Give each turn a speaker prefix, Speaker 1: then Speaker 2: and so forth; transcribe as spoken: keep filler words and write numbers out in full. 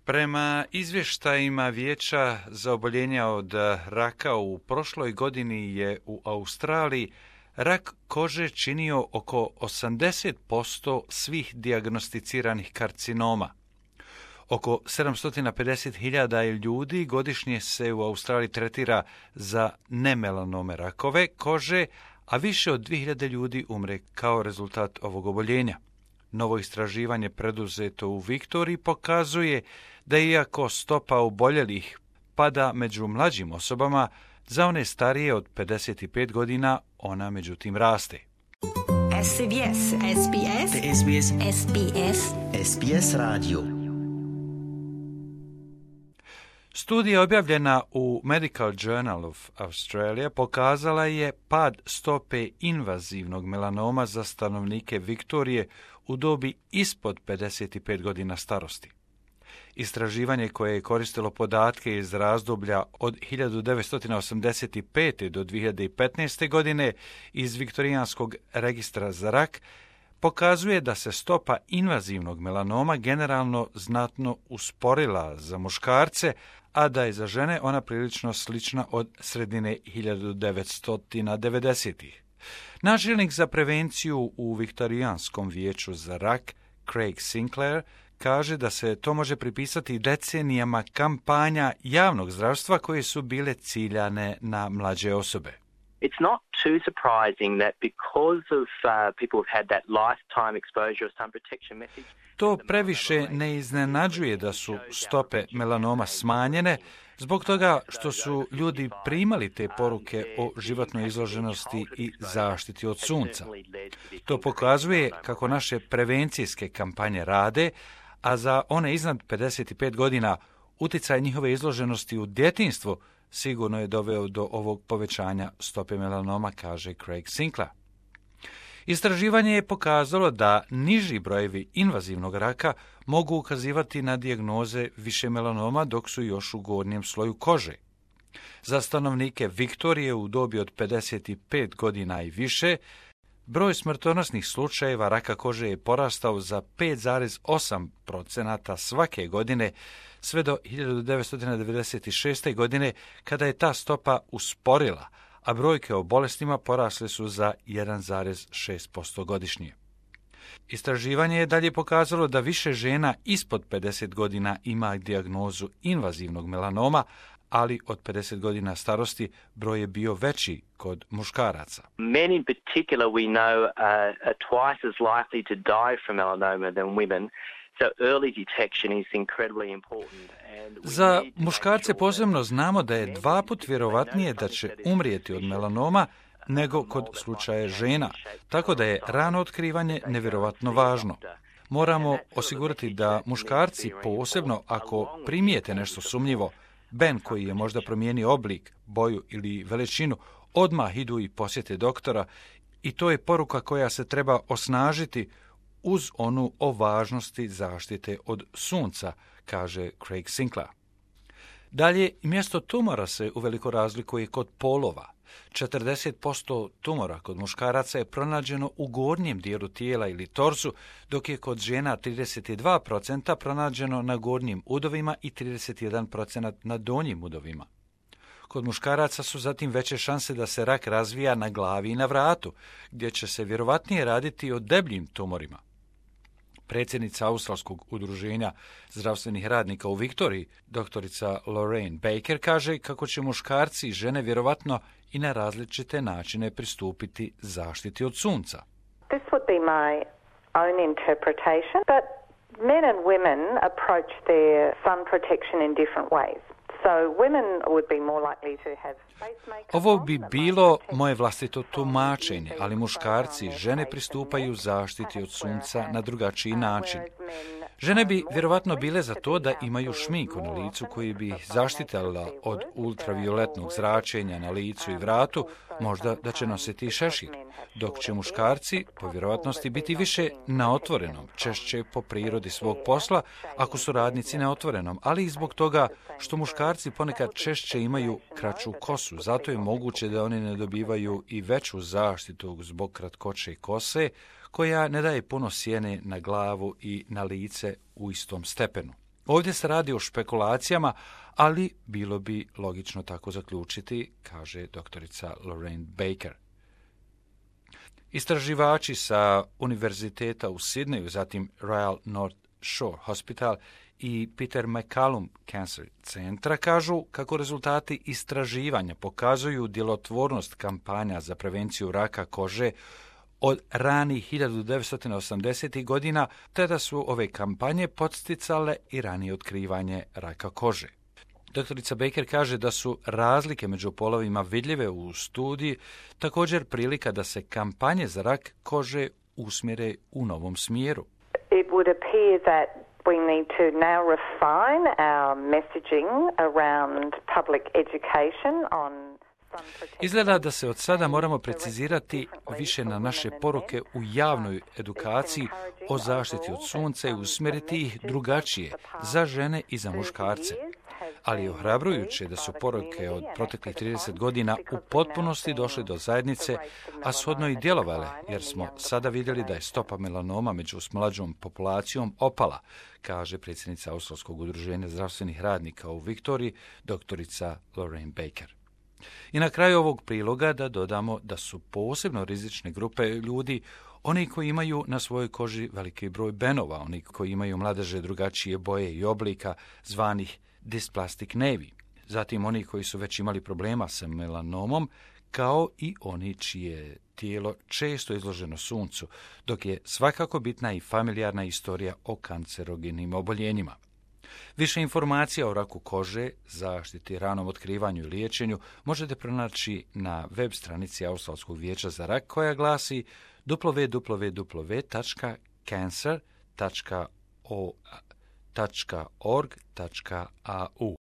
Speaker 1: Prema izvještajima Vijeća za oboljenja od raka u prošloj godini je u Australiji rak kože činio oko osamdeset posto svih dijagnosticiranih karcinoma. Oko sedamsto pedeset hiljada ljudi godišnje se u Australiji tretira za nemelanome rakove kože, a više od dvije hiljade ljudi umre kao rezultat ovog oboljenja. Novo istraživanje preduzeto u Viktoriji pokazuje da iako stopa oboljelih pada među mlađim osobama, za one starije od pedeset pet godina ona međutim raste.
Speaker 2: S B S, S B S,
Speaker 3: S B S,
Speaker 2: S B S,
Speaker 3: S B S radio.
Speaker 1: Studija objavljena u Medical Journal of Australia pokazala je pad stope invazivnog melanoma za stanovnike Viktorije u dobi ispod pedeset pet godina starosti. Istraživanje koje je koristilo podatke iz razdoblja od hiljadu devetsto osamdeset pete. do dvije hiljade petnaeste. godine iz Viktorijanskog registra za rak pokazuje da se stopa invazivnog melanoma generalno znatno usporila za muškarce, a da je za žene ona prilično slična od sredine hiljadu devetsto devedesetih. Načelnik za prevenciju u Viktorijanskom vijeću za rak, Craig Sinclair, kaže da se to može pripisati decenijama kampanja javnog zdravstva koje su bile ciljane na mlađe osobe.
Speaker 4: It's not too surprising that because of uh, people who've had that lifetime exposure of sun protection message.
Speaker 1: To previše ne iznenađuje da su stope melanoma smanjene zbog toga što su ljudi primali te poruke o životnoj izloženosti i zaštiti od sunca. To pokazuje kako naše prevencijske kampanje rade, a za one iznad pedeset pet godina utjecaj njihove izloženosti u djetinjstvu sigurno je doveo do ovog povećanja stope melanoma, kaže Craig Sinclair. Istraživanje je pokazalo da niži brojevi invazivnog raka mogu ukazivati na dijagnoze više melanoma dok su još u gornjem sloju kože. Za stanovnike Viktorije u dobi od pedeset pet godina i više, broj smrtonosnih slučajeva raka kože je porastao za pet zarez osam posto svake godine sve do hiljadu devetsto devedeset šeste. godine kada je ta stopa usporila, a brojke o bolestima porasle su za jedan zarez šest posto godišnje. Istraživanje je dalje pokazalo da više žena ispod pedeset godina ima dijagnozu invazivnog melanoma, ali od pedeset godina starosti broj je bio veći kod muškaraca.
Speaker 4: Men in particular we know uh, are twice as likely to die from melanoma than women. So early detection is incredibly important.
Speaker 1: Za muškarce posebno znamo da je dva put vjerovatnije da će umrijeti od melanoma nego kod slučaja žena, tako da je rano otkrivanje nevjerovatno važno. Moramo osigurati da muškarci, posebno ako primijete nešto sumnjivo, ben koji je možda promijenio oblik, boju ili veličinu, odmah idu i posjete doktora, i to je poruka koja se treba osnažiti uz onu o važnosti zaštite od sunca, kaže Craig Sinclair. Dalje, mjesto tumora se uveliko razlikuje kod polova. četrdeset posto tumora kod muškaraca je pronađeno u gornjem dijelu tijela ili torsu, dok je kod žena trideset dva posto pronađeno na gornjim udovima i trideset jedan posto na donjim udovima. Kod muškaraca su zatim veće šanse da se rak razvija na glavi i na vratu, gdje će se vjerovatnije raditi o debljim tumorima. Predsjednica Australskog udruženja zdravstvenih radnika u Viktoriji, doktorica Lorraine Baker, kaže kako će muškarci i žene vjerovatno i na različite načine pristupiti zaštiti od sunca.
Speaker 5: This would be my own interpretation, but men and women approach their sun protection in different ways. So women would be more likely to have face makeup.
Speaker 1: Ovo bi bilo moje vlastito tumačenje, ali muškarci i žene pristupaju zaštiti od sunca na drugačiji način. Žene bi vjerovatno bile za to da imaju šminku na licu koji bi ih zaštitila od ultravioletnog zračenja na licu i vratu, možda da će nositi šešir, dok će muškarci po vjerovatnosti biti više na otvorenom, češće po prirodi svog posla ako su radnici na otvorenom, ali i zbog toga što muškarci ponekad češće imaju kraću kosu, zato je moguće da oni ne dobivaju i veću zaštitu zbog kratkoće kose, koja ne daje puno sjene na glavu i na lice u istom stepenu. Ovdje se radi o špekulacijama, ali bilo bi logično tako zaključiti, kaže doktorica Lorraine Baker. Istraživači sa Univerziteta u Sidneju, zatim Royal North Shore Hospital i Peter MacCallum Cancer centra kažu kako rezultati istraživanja pokazuju djelotvornost kampanja za prevenciju raka kože od ranih hiljadu devetsto osamdesetih godina, te da su ove kampanje podsticale i ranije otkrivanje raka kože. Doktorica Baker kaže da su razlike među polovima vidljive u studiji, također prilika da se kampanje za rak kože usmjere u novom smjeru.
Speaker 5: It would appear that we need to now refine our messaging around public education on
Speaker 1: Izgleda da se od sada moramo precizirati više na naše poruke u javnoj edukaciji o zaštiti od sunca i usmjeriti ih drugačije za žene i za muškarce. Ali je ohrabrujuće da su poruke od proteklih trideset godina u potpunosti došle do zajednice, a shodno i djelovale, jer smo sada vidjeli da je stopa melanoma među mlađom populacijom opala, kaže predsjednica Australskog udruženja zdravstvenih radnika u Viktoriji, doktorica Lorraine Baker. I na kraju ovog priloga da dodamo da su posebno rizične grupe ljudi oni koji imaju na svojoj koži veliki broj benova, oni koji imaju mladeže drugačije boje i oblika, zvanih dysplastic nevi. Zatim oni koji su već imali problema sa melanomom, kao i oni čije tijelo često izloženo suncu, dok je svakako bitna i familijarna istorija o kancerogenim oboljenjima. Više informacija o raku kože, zaštiti, ranom otkrivanju i liječenju možete pronaći na web stranici Australskog vijeća za rak koja glasi w w w tačka cancer tačka org tačka a u.